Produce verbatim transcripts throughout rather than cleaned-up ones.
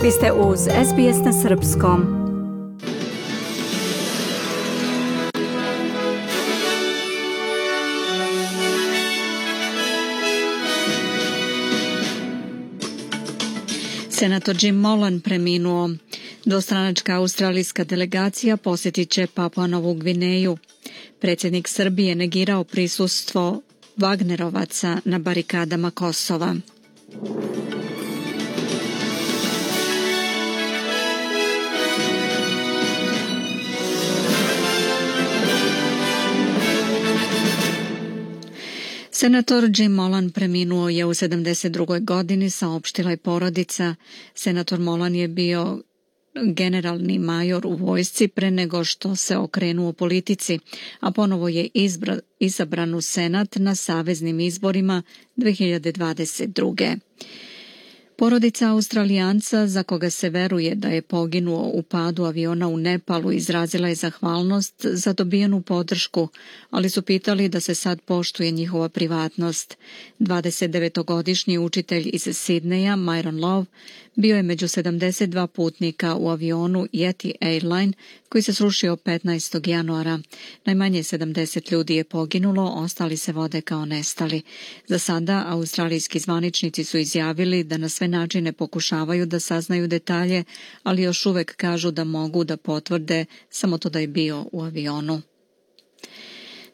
Vi ste uz S B S na srpskom. Senator Jim Molan preminuo. Dvostranačka australijska delegacija posjetit će Papua Novu Gvineju. Predsjednik Srbije negirao prisustvo Vagnerovaca na barikadama Kosova. Senator Jim Molan preminuo je u sedamdeset drugoj godini, saopštila je porodica. Senator Molan je bio generalni major u vojsci pre nego što se okrenuo politici, a ponovo je izbra, izabran u Senat na saveznim izborima dve hiljade dvadeset druge. Porodica Australijanca, za koga se veruje da je poginuo u padu aviona u Nepalu, izrazila je zahvalnost za dobijenu podršku, ali su pitali da se sad poštuje njihova privatnost. dvadesetdevetogodišnji učitelj iz Sidneja, Myron Love, bio je među sedamdeset dva putnika u avionu Yeti Airline koji se srušio petnaestog januara. Najmanje sedamdeset ljudi je poginulo, ostali se vode kao nestali. Za sada australijski zvaničnici su izjavili da na sve načine pokušavaju da saznaju detalje, ali još uvek kažu da mogu da potvrde samo to da je bio u avionu.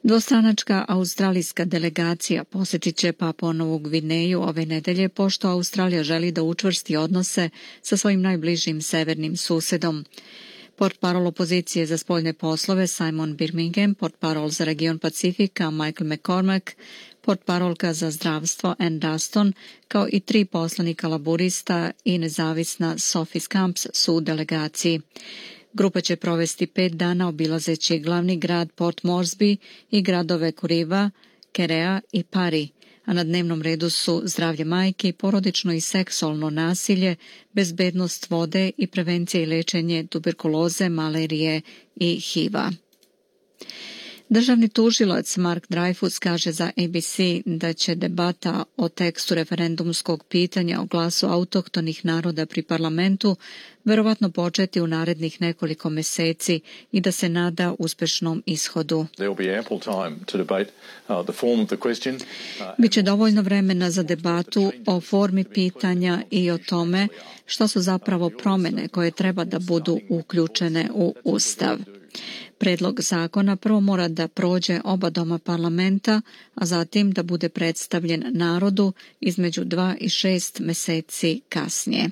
Dvostranačka australijska delegacija posjetit će Papua Novu Gvineju ove nedelje, pošto Australija želi da učvrsti odnose sa svojim najbližim severnim susedom. Portparol opozicije za spoljne poslove Simon Birmingham, portparol za region Pacifika Michael McCormack, portparolka za zdravstvo Ann Duston, kao i tri poslanika laburista i nezavisna Sophie Scamps su u delegaciji. Grupa će provesti pet dana obilazeći glavni grad Port Moresby i gradove Kuriva, Kerea i Pari, a na dnevnom redu su zdravlje majke, porodično i seksualno nasilje, bezbednost vode i prevencija i lečenje tuberkuloze, malarije i H I V-a. Državni tužilac Mark Dreyfus kaže za A B C da će debata o tekstu referendumskog pitanja o glasu autohtonih naroda pri parlamentu verovatno početi u narednih nekoliko meseci i da se nada uspešnom ishodu. Biće dovoljno vremena za debatu o formi pitanja i o tome šta su zapravo promene koje treba da budu uključene u Ustav. Predlog zakona prvo mora da prođe oba doma parlamenta, a zatim da bude predstavljen narodu između dva i šest meseci kasnije.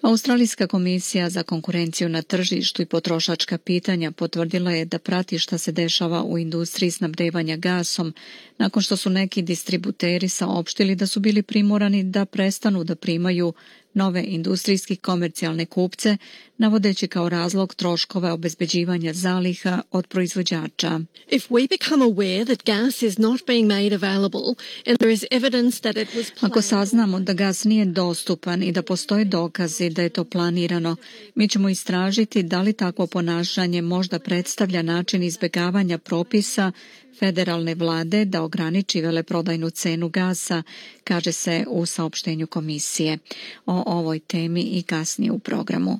Australijska komisija za konkurenciju na tržištu i potrošačka pitanja potvrdila je da prati šta se dešava u industriji snabdevanja gasom, nakon što su neki distributeri saopštili da su bili primorani da prestanu da primaju nove industrijski komercijalne kupce, navodeći kao razlog troškove obezbeđivanja zaliha od proizvođača. If we become aware that gas is not being made available and there is evidence that it was planned... Ako saznamo da gas nije dostupan i da postoje dokazi da je to planirano, mi ćemo istražiti da li takvo ponašanje možda predstavlja način izbegavanja propisa federalne vlade da ograniči veleprodajnu cenu gasa, kaže se u saopštenju komisije. O ovoj temi i kasnije u programu.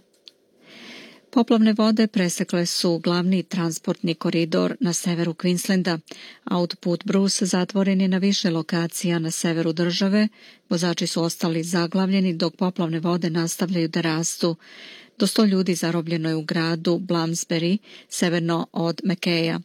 Poplavne vode presekle su glavni transportni koridor na severu Queenslanda. Autoput Bruce zatvoren je na više lokacija na severu države. Vozači su ostali zaglavljeni dok poplavne vode nastavljaju da rastu. Do sto ljudi zarobljeno je u gradu Bloomsbury, severno od Mackaja.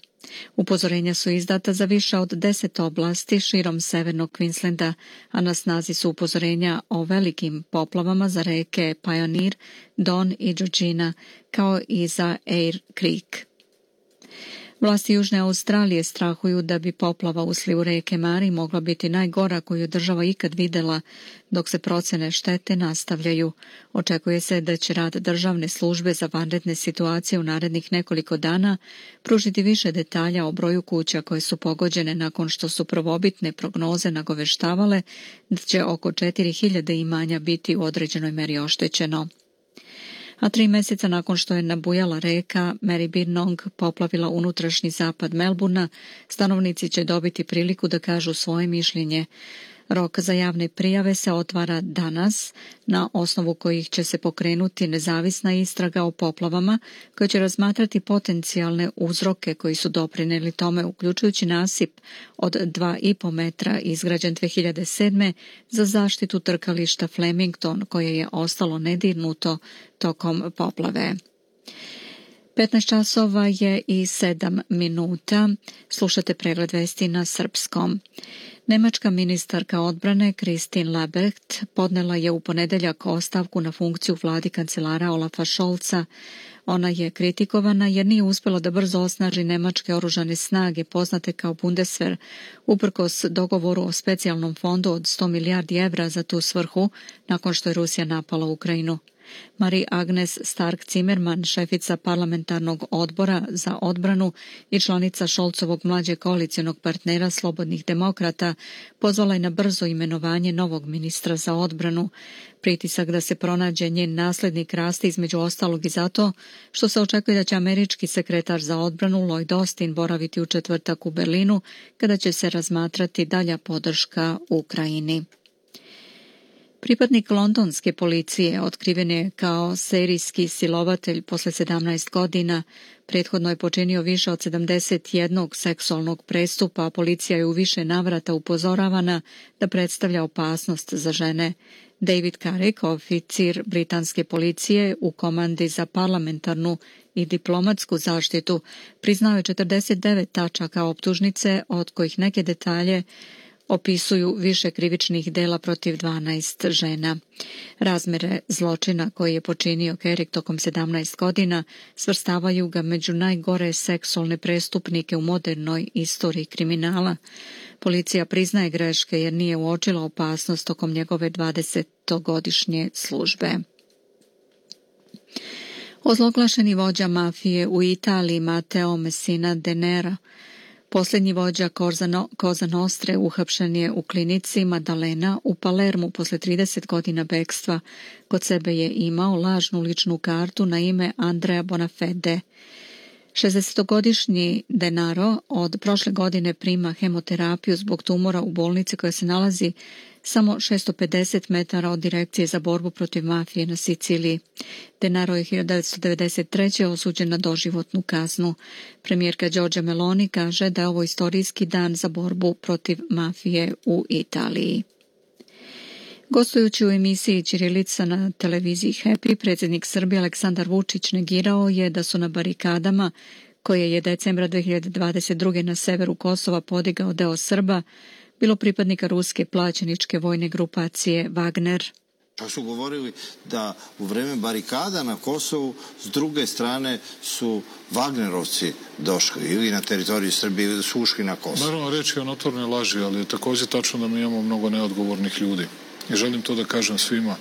Upozorenja su izdata za više od deset oblasti širom severnog Queenslanda, a na snazi su upozorenja o velikim poplavama za reke Pioneer, Don i Georgina, kao i za Eyre Creek. Vlasti Južne Australije strahuju da bi poplava u slivu reke Mari mogla biti najgora koju je država ikad videla, dok se procene štete nastavljaju. Očekuje se da će rad državne službe za vanredne situacije u narednih nekoliko dana pružiti više detalja o broju kuća koje su pogođene nakon što su prvobitne prognoze nagoveštavale da će oko četiri hiljade imanja biti u određenoj meri oštećeno. A tri mjeseca nakon što je nabujala reka Maribyrnong poplavila unutrašnji zapad Melburna, stanovnici će dobiti priliku da kažu svoje mišljenje. Rok za javne prijave se otvara danas, na osnovu kojih će se pokrenuti nezavisna istraga o poplavama koja će razmatrati potencijalne uzroke koji su doprinijeli tome, uključujući nasip od dva i po metra izgrađen dve hiljade sedme za zaštitu trkališta Flemington koje je ostalo nedirnuto tokom poplave. petnaest časova je i sedam minuta. Slušate pregled vesti na srpskom. Nemačka ministarka odbrane Christine Lambrecht podnela je u ponedeljak ostavku na funkciju vladi kancelara Olafa Scholza. Ona je kritikovana jer nije uspjela da brzo osnaži nemačke oružane snage poznate kao Bundeswehr, uprkos dogovoru o specijalnom fondu od sto milijardi evra za tu svrhu nakon što je Rusija napala Ukrajinu. Marie Agnes Stark-Zimmermann, šefica parlamentarnog odbora za odbranu i članica Scholzovog mlađeg koalicionog partnera Slobodnih demokrata, pozvala je na brzo imenovanje novog ministra za odbranu. Pritisak da se pronađe njen naslednik raste između ostalog i zato što se očekuje da će američki sekretar za odbranu Lloyd Austin boraviti u četvrtak u Berlinu kada će se razmatrati dalja podrška Ukrajini. Pripadnik londonske policije otkriven je kao serijski silovatelj posle sedamnaest godina. Prethodno je počinio više od sedamdeset jednog seksualnog prestupa, a policija je u više navrata upozoravana da predstavlja opasnost za žene. David Carrick, oficir britanske policije u komandi za parlamentarnu i diplomatsku zaštitu, priznao je četrdeset devet tačaka optužnice, od kojih neke detalje opisuju više krivičnih dela protiv dvanaest žena. Razmere zločina koji je počinio Carrick tokom sedamnaest godina svrstavaju ga među najgore seksualne prestupnike u modernoj istoriji kriminala. Policija priznaje greške jer nije uočila opasnost tokom njegove dvadesetogodišnje službe. Ozloglašeni vođa mafije u Italiji Matteo Messina Denaro, posljednji vođa Cosa Nostre, uhapšen je u klinici Maddalena u Palermu posle trideset godina bekstva. Kod sebe je imao lažnu ličnu kartu na ime Andrea Bonafede. šezdesetogodišnji Denaro od prošle godine prima hemoterapiju zbog tumora u bolnici koja se nalazi samo šesto pedeset metara od Direkcije za borbu protiv mafije na Siciliji. Denaro je hiljadu devetsto devedeset treće osuđen na doživotnu kaznu. Premijerka Giorgia Meloni kaže da je ovo istorijski dan za borbu protiv mafije u Italiji. Gostujući u emisiji Ćirilica na televiziji Happy, predsjednik Srbije Aleksandar Vučić negirao je da su na barikadama, koje je decembra dve hiljade dvadeset druge na severu Kosova podigao deo Srba, bilo pripadnika ruske plaćeničke vojne grupacije Wagner. Čak su govorili da u vreme barikada na Kosovu s druge strane su Wagnerovci došli ili na teritoriju Srbije ili su ušli na Kosovo. Naravno, reč je o notornoj laži, ali je također tačno da mi imamo mnogo neodgovornih ljudi. I želim to da kažem svima.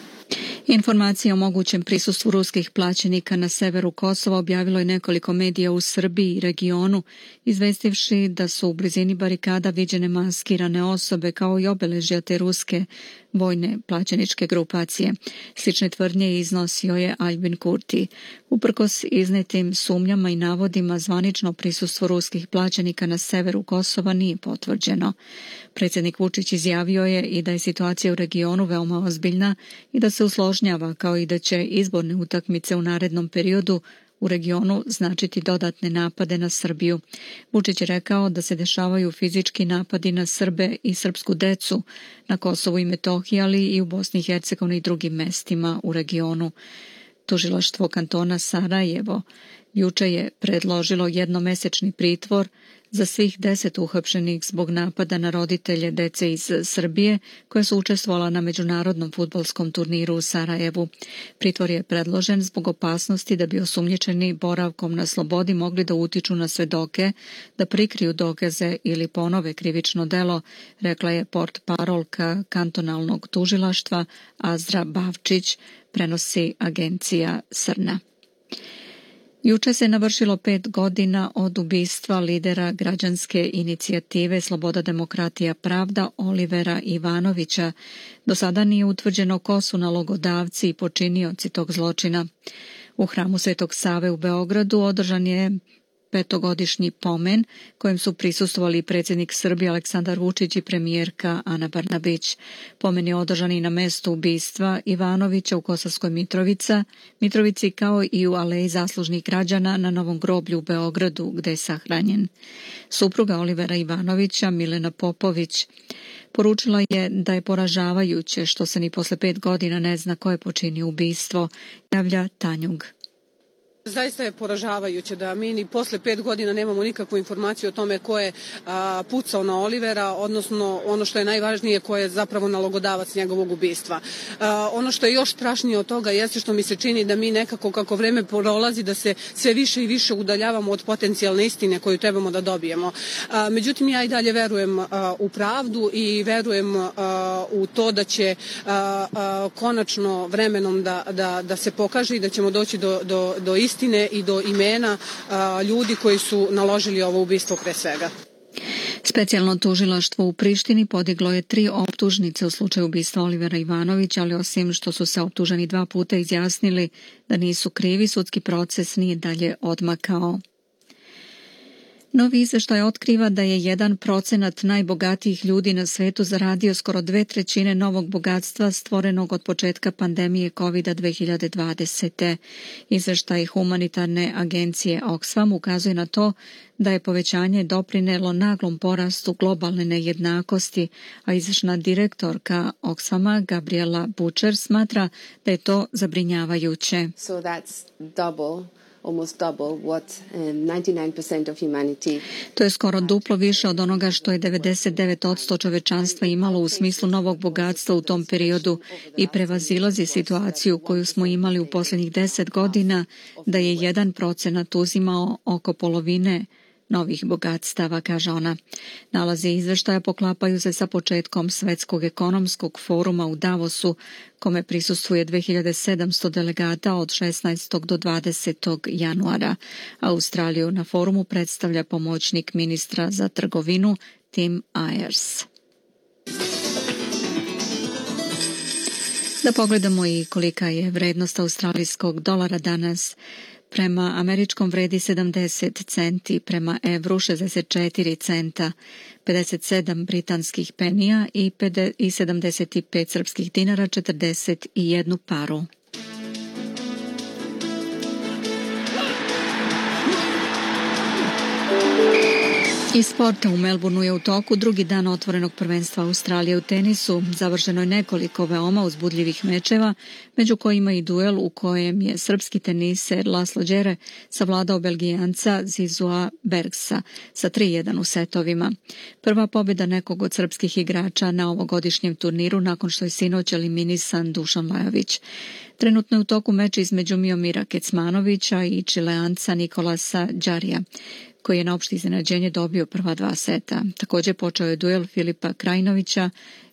Informacije o mogućem prisustvu ruskih plaćenika na severu Kosova objavilo je nekoliko medija u Srbiji i regionu, izvestivši da su u blizini barikada viđene maskirane osobe kao i obeležja te ruske vojne plaćeničke grupacije. Slične tvrdnje iznosio je Albin Kurti. Uprkos iznetim sumnjama i navodima, zvanično prisustvo ruskih plaćenika na severu Kosova nije potvrđeno. Predsjednik Vučić izjavio je i da je situacija u regionu veoma ozbiljna i da se usložnjava, kao i da će izborne utakmice u narednom periodu u regionu značiti dodatne napade na Srbiju. Vučić je rekao da se dešavaju fizički napadi na Srbe i srpsku decu na Kosovu i Metohiji, ali i u Bosni i Hercegovini i drugim mestima u regionu. Tužilaštvo kantona Sarajevo juče je predložilo jednomesečni pritvor za svih deset uhapšenih zbog napada na roditelje dece iz Srbije koja su učestvovala na međunarodnom fudbalskom turniru u Sarajevu. Pritvor je predložen zbog opasnosti da bi osumnjičeni boravkom na slobodi mogli da utiču na svedoke, da prikriju dokaze ili ponove krivično delo, rekla je portparolka kantonalnog tužilaštva Azra Bavčić, prenosi agencija Srna. Juče se navršilo pet godina od ubistva lidera građanske inicijative Sloboda, demokratija, pravda Olivera Ivanovića. Do sada nije utvrđeno ko su nalogodavci i počinioci tog zločina. U hramu Svetog Save u Beogradu održan je petogodišnji pomen kojem su prisustvovali predsjednik Srbije Aleksandar Vučić i premijerka Ana Brnabić. Pomen je održan i na mestu ubistva Ivanovića u Kosovskoj Mitrovica, Mitrovici kao i u Aleji zaslužnih građana na Novom groblju u Beogradu gde je sahranjen. Supruga Olivera Ivanovića, Milena Popović, poručila je da je poražavajuće što se ni posle pet godina ne zna ko je počinio ubistvo, javlja Tanjug. Zaista je poražavajuće da mi ni posle pet godina nemamo nikakvu informaciju o tome ko je a, pucao na Olivera, odnosno ono što je najvažnije, ko je zapravo nalogodavac njegovog ubistva. A, ono što je još strašnije od toga jeste što mi se čini da mi nekako kako vreme prolazi da se sve više i više udaljavamo od potencijalne istine koju trebamo da dobijemo. A, međutim, ja i dalje verujem a, u pravdu i verujem a, u to da će a, a, konačno vremenom da, da, da se pokaže i da ćemo doći do, do, do istine istine i do imena a, ljudi koji su naložili ovo ubistvo pre svega. Specijalno tužilaštvo u Prištini podiglo je tri optužnice u slučaju ubistva Olivera Ivanovića, ali osim što su se optuženi dva puta izjasnili da nisu krivi, sudski proces nije dalje odmakao. Novi izveštaj otkriva da je jedan procenat najbogatijih ljudi na svetu zaradio skoro dve trećine novog bogatstva stvorenog od početka pandemije kovida dve hiljade dvadesete. Izveštaj humanitarne agencije Oxfam ukazuje na to da je povećanje doprinelo naglom porastu globalne nejednakosti, a izvršna direktorka Oxfama Gabriela Butcher smatra da je to zabrinjavajuće. So that's double. Almost double what ninety-nine percent of humanity. To je skoro duplo više od onoga što je devedeset devet posto čovečanstva imalo u smislu novog bogatstva u tom periodu i prevazilazi situaciju koju smo imali u posljednjih deset godina da je jedan procenat uzimao oko polovine novih bogatstava, kaže ona. Nalazi izveštaja poklapaju se sa početkom Svetskog ekonomskog foruma u Davosu, kome prisustvuje dve hiljade sedamsto delegata od šesnaestog do dvadesetog januara. Australiju na forumu predstavlja pomoćnik ministra za trgovinu Tim Ayers. Da pogledamo i kolika je vrednost australijskog dolara danas. Prema američkom vredi sedamdeset centi, prema evru šezdeset četiri centa, pedeset sedam britanskih penija i sedamdeset pet srpskih dinara, četrdeset jednu paru. Iz sporta u Melbourneu je u toku drugi dan otvorenog prvenstva Australije u tenisu. Završeno je nekoliko veoma uzbudljivih mečeva, među kojima i duel u kojem je srpski teniser Laslo Đere savladao Belgijanca Zizua Bergsa sa tri jedan u setovima. Prva pobjeda nekog od srpskih igrača na ovogodišnjem turniru nakon što je sinoć eliminisan Dušan Lajović. Trenutno je u toku meč između Miomira Kecmanovića i Čileanca Nikolasa Đarija, koji je na opšte iznenađenje dobio prva dva seta. Također počeo je duel Filipa Krajinovića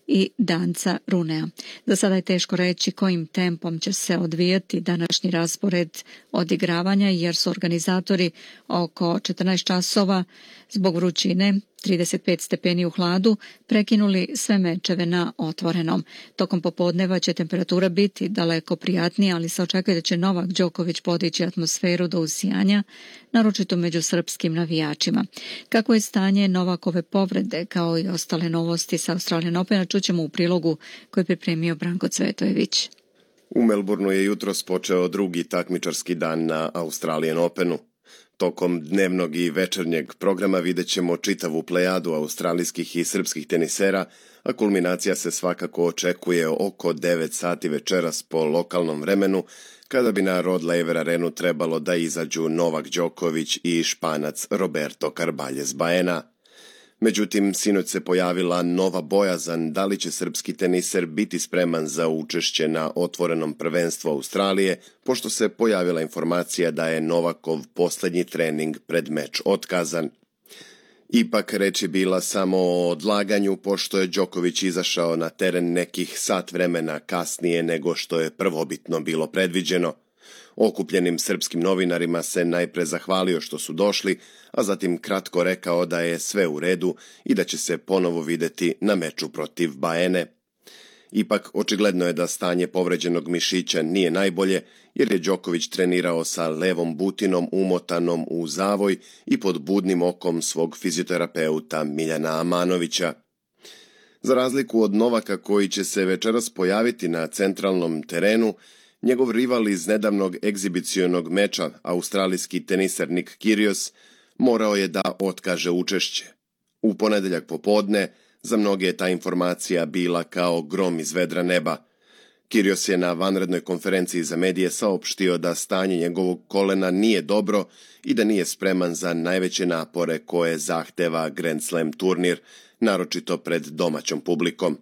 i Danca Runea. Za sada je teško reći kojim tempom će se odvijati današnji raspored odigravanja, jer su organizatori oko četrnaest časova zbog vrućine, trideset pet stepeni u hladu, prekinuli sve mečeve na otvorenom. Tokom popodneva će temperatura biti daleko prijatnija, ali se očekuje da će Novak Đoković podići atmosferu do usijanja, naročito među srpskim navijačima. Kako je stanje Novakove povrede, kao i ostale novosti sa Australian Opena, čućemo u prilogu koji je pripremio Branko Cvetojević. U Melbourneu je jutros počeo drugi takmičarski dan na Australian Openu. Tokom dnevnog i večernjeg programa vidjet ćemo čitavu plejadu australijskih i srpskih tenisera, a kulminacija se svakako očekuje oko devet sati večeras po lokalnom vremenu, kada bi na Rod Laver Arenu trebalo da izađu Novak Đoković i Španac Roberto Carballes Baena. Međutim, sinoć se pojavila nova bojazan da li će srpski teniser biti spreman za učešće na otvorenom prvenstvu Australije, pošto se pojavila informacija da je Novakov posljednji trening pred meč otkazan. Ipak reč je bila samo o odlaganju, pošto je Đoković izašao na teren nekih sat vremena kasnije nego što je prvobitno bilo predviđeno. Okupljenim srpskim novinarima se najpre zahvalio što su došli, a zatim kratko rekao da je sve u redu i da će se ponovo videti na meču protiv Baene. Ipak, očigledno je da stanje povređenog mišića nije najbolje, jer je Đoković trenirao sa levom butinom umotanom u zavoj i pod budnim okom svog fizioterapeuta Miljana Amanovića. Za razliku od Novaka koji će se večeras pojaviti na centralnom terenu, njegov rival iz nedavnog egzibicionog meča, australijski teniser Nick Kyrgios, morao je da otkaže učešće. U ponedeljak popodne, za mnoge je ta informacija bila kao grom iz vedra neba. Kyrgios je na vanrednoj konferenciji za medije saopštio da stanje njegovog kolena nije dobro i da nije spreman za najveće napore koje zahteva Grand Slam turnir, naročito pred domaćom publikom.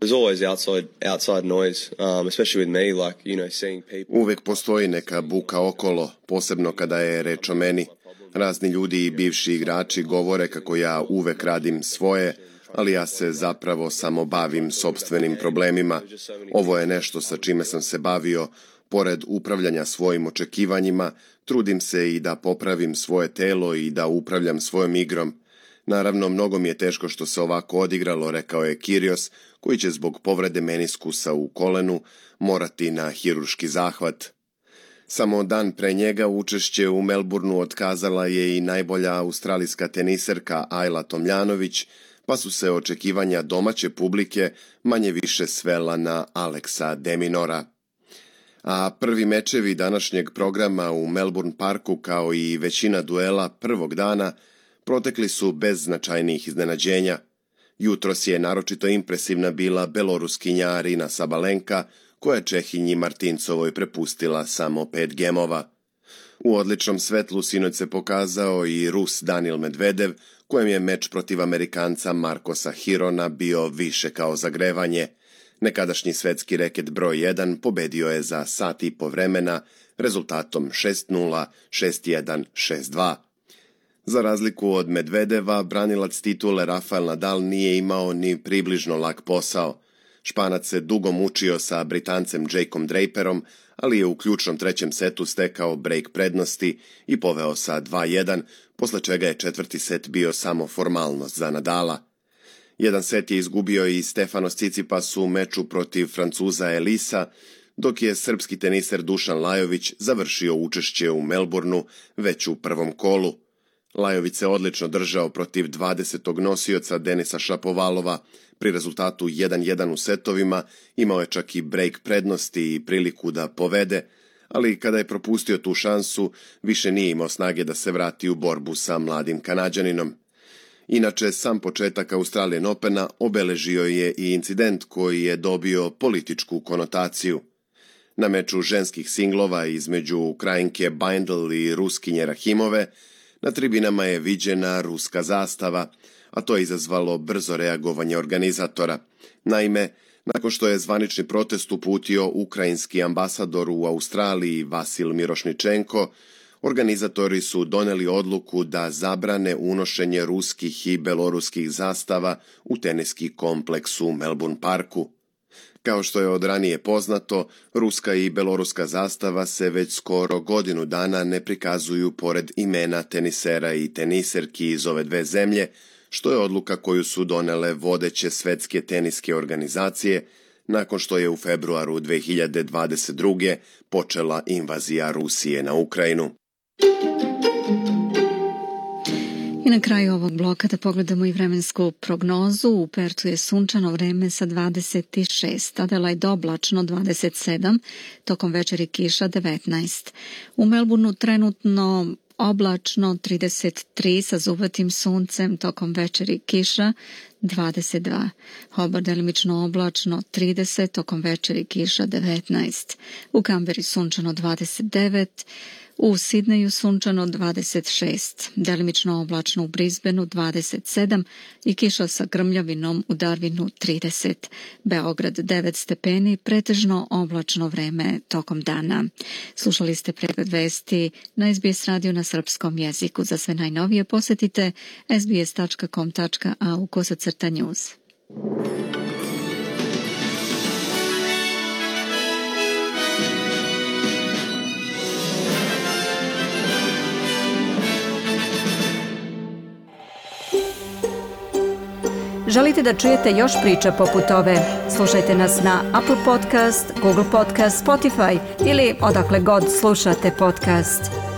Uvek postoji neka buka okolo, posebno kada je reč o meni. Razni ljudi i bivši igrači govore kako ja uvek radim svoje, ali ja se zapravo samo bavim sopstvenim problemima. Ovo je nešto sa čime sam se bavio. Pored upravljanja svojim očekivanjima, trudim se i da popravim svoje telo i da upravljam svojom igrom. Naravno, mnogo mi je teško što se ovako odigralo, rekao je Kyrgios, koji će zbog povrede meniskusa u kolenu morati na hirurški zahvat. Samo dan pre njega učešće u Melbourneu otkazala je i najbolja australijska teniserka Ajla Tomljanović, pa su se očekivanja domaće publike manje više svela na Aleksa de Minaura. A prvi mečevi današnjeg programa u Melbourne Parku, kao i većina duela prvog dana, protekli su bez značajnijih iznenađenja. Jutros je naročito impresivna bila beloruskinja Arina Sabalenka, koja je Čehinji Martincovoj prepustila samo pet gemova. U odličnom svetlu sinoć se pokazao i Rus Danil Medvedev, kojem je meč protiv Amerikanca Marcosa Hirona bio više kao zagrevanje. Nekadašnji svetski reket broj jedan pobedio je za sat i po vremena rezultatom šest nula, šest jedan, šest dva. Za razliku od Medvedeva, branilac titule Rafael Nadal nije imao ni približno lak posao. Španac se dugo mučio sa Britancem Jakeom Draperom, ali je u ključnom trećem setu stekao break prednosti i poveo sa dva jedan, posle čega je četvrti set bio samo formalnost za Nadala. Jedan set je izgubio i Stefanos Tsitsipas u meču protiv Francuza Elisa, dok je srpski teniser Dušan Lajović završio učešće u Melbourneu već u prvom kolu. Lajović se odlično držao protiv dvadesetog nosioca Denisa Šapovalova. Pri rezultatu jedan jedan u setovima imao je čak i break prednosti i priliku da povede, ali kada je propustio tu šansu, više nije imao snage da se vrati u borbu sa mladim Kanađaninom. Inače, sam početak Australian Opena obeležio je i incident koji je dobio političku konotaciju. Na meču ženskih singlova između Ukrajinke Bindel i Ruskinje Rahimove na tribinama je viđena ruska zastava, a to je izazvalo brzo reagovanje organizatora. Naime, nakon što je zvanični protest uputio ukrajinski ambasador u Australiji Vasil Mirošničenko, organizatori su doneli odluku da zabrane unošenje ruskih i beloruskih zastava u teniski kompleks u Melbourne Parku. Kao što je od ranije poznato, ruska i beloruska zastava se već skoro godinu dana ne prikazuju pored imena tenisera i teniserki iz ove dve zemlje, što je odluka koju su donele vodeće svetske teniske organizacije nakon što je u februaru dve hiljade dvadeset druge počela invazija Rusije na Ukrajinu. I na kraju ovog bloka da pogledamo i vremensku prognozu. U Pertu je sunčano vreme sa dvadeset šest, Adelaide oblačno dvadeset sedam, tokom večeri kiša devetnaest. U Melbourneu trenutno oblačno trideset tri sa zubatim suncem, tokom večeri kiša dvadeset dva. Hobart delimično oblačno trideset, tokom večeri kiša devetnaest. U Kamberi sunčano dvadeset devet, u Sidneju sunčano dvadeset šest, delimično oblačno u Brisbaneu dvadeset sedam i kiša sa grmljavinom u Darwinu trideset. Beograd devet stepeni, pretežno oblačno vreme tokom dana. Slušali ste pregled vesti na S B S radio na srpskom jeziku. Za sve najnovije posetite s b s tačka com tačka a u kosacrta news. Želite da čujete još priča poput ove? Slušajte nas na Apple Podcast, Google Podcast, Spotify ili odakle god slušate podcast.